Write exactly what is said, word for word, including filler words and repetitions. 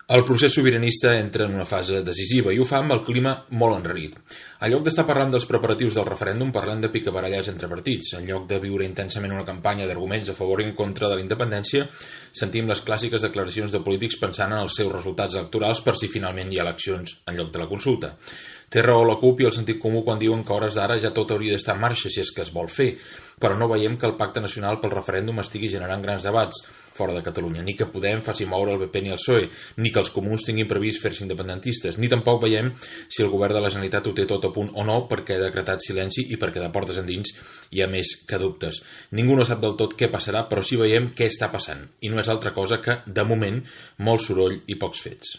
El procés sobiranista entra en una fase decisiva i ho fa amb el clima molt enrarit. En lloc d'estar parlant dels preparatius del referèndum, parlem de picabarallars entre partits. En lloc de viure intensament una campanya d'arguments a favor i en contra de la independència, sentim les clàssiques declaracions de polítics pensant en els seus resultats electorals per si finalment hi ha eleccions en lloc de la consulta. Té raó la CUP i el sentit comú quan diuen que a hores d'ara ja tot hauria d'estar en marxa si és que es vol fer, però no veiem que el Pacte Nacional pel Referèndum estigui generant grans debats fora de Catalunya, ni que Podem faci moure el B P ni el P S O E, ni que els comuns tinguin previst fer-se independentistes, ni tampoc veiem si el govern de la Generalitat ho té tot a punt o no perquè ha decretat silenci i perquè de portes endins hi ha més que dubtes. Ningú no sap del tot què passarà, però sí veiem què està passant, i no és altra cosa que, de moment, molt soroll i pocs fets.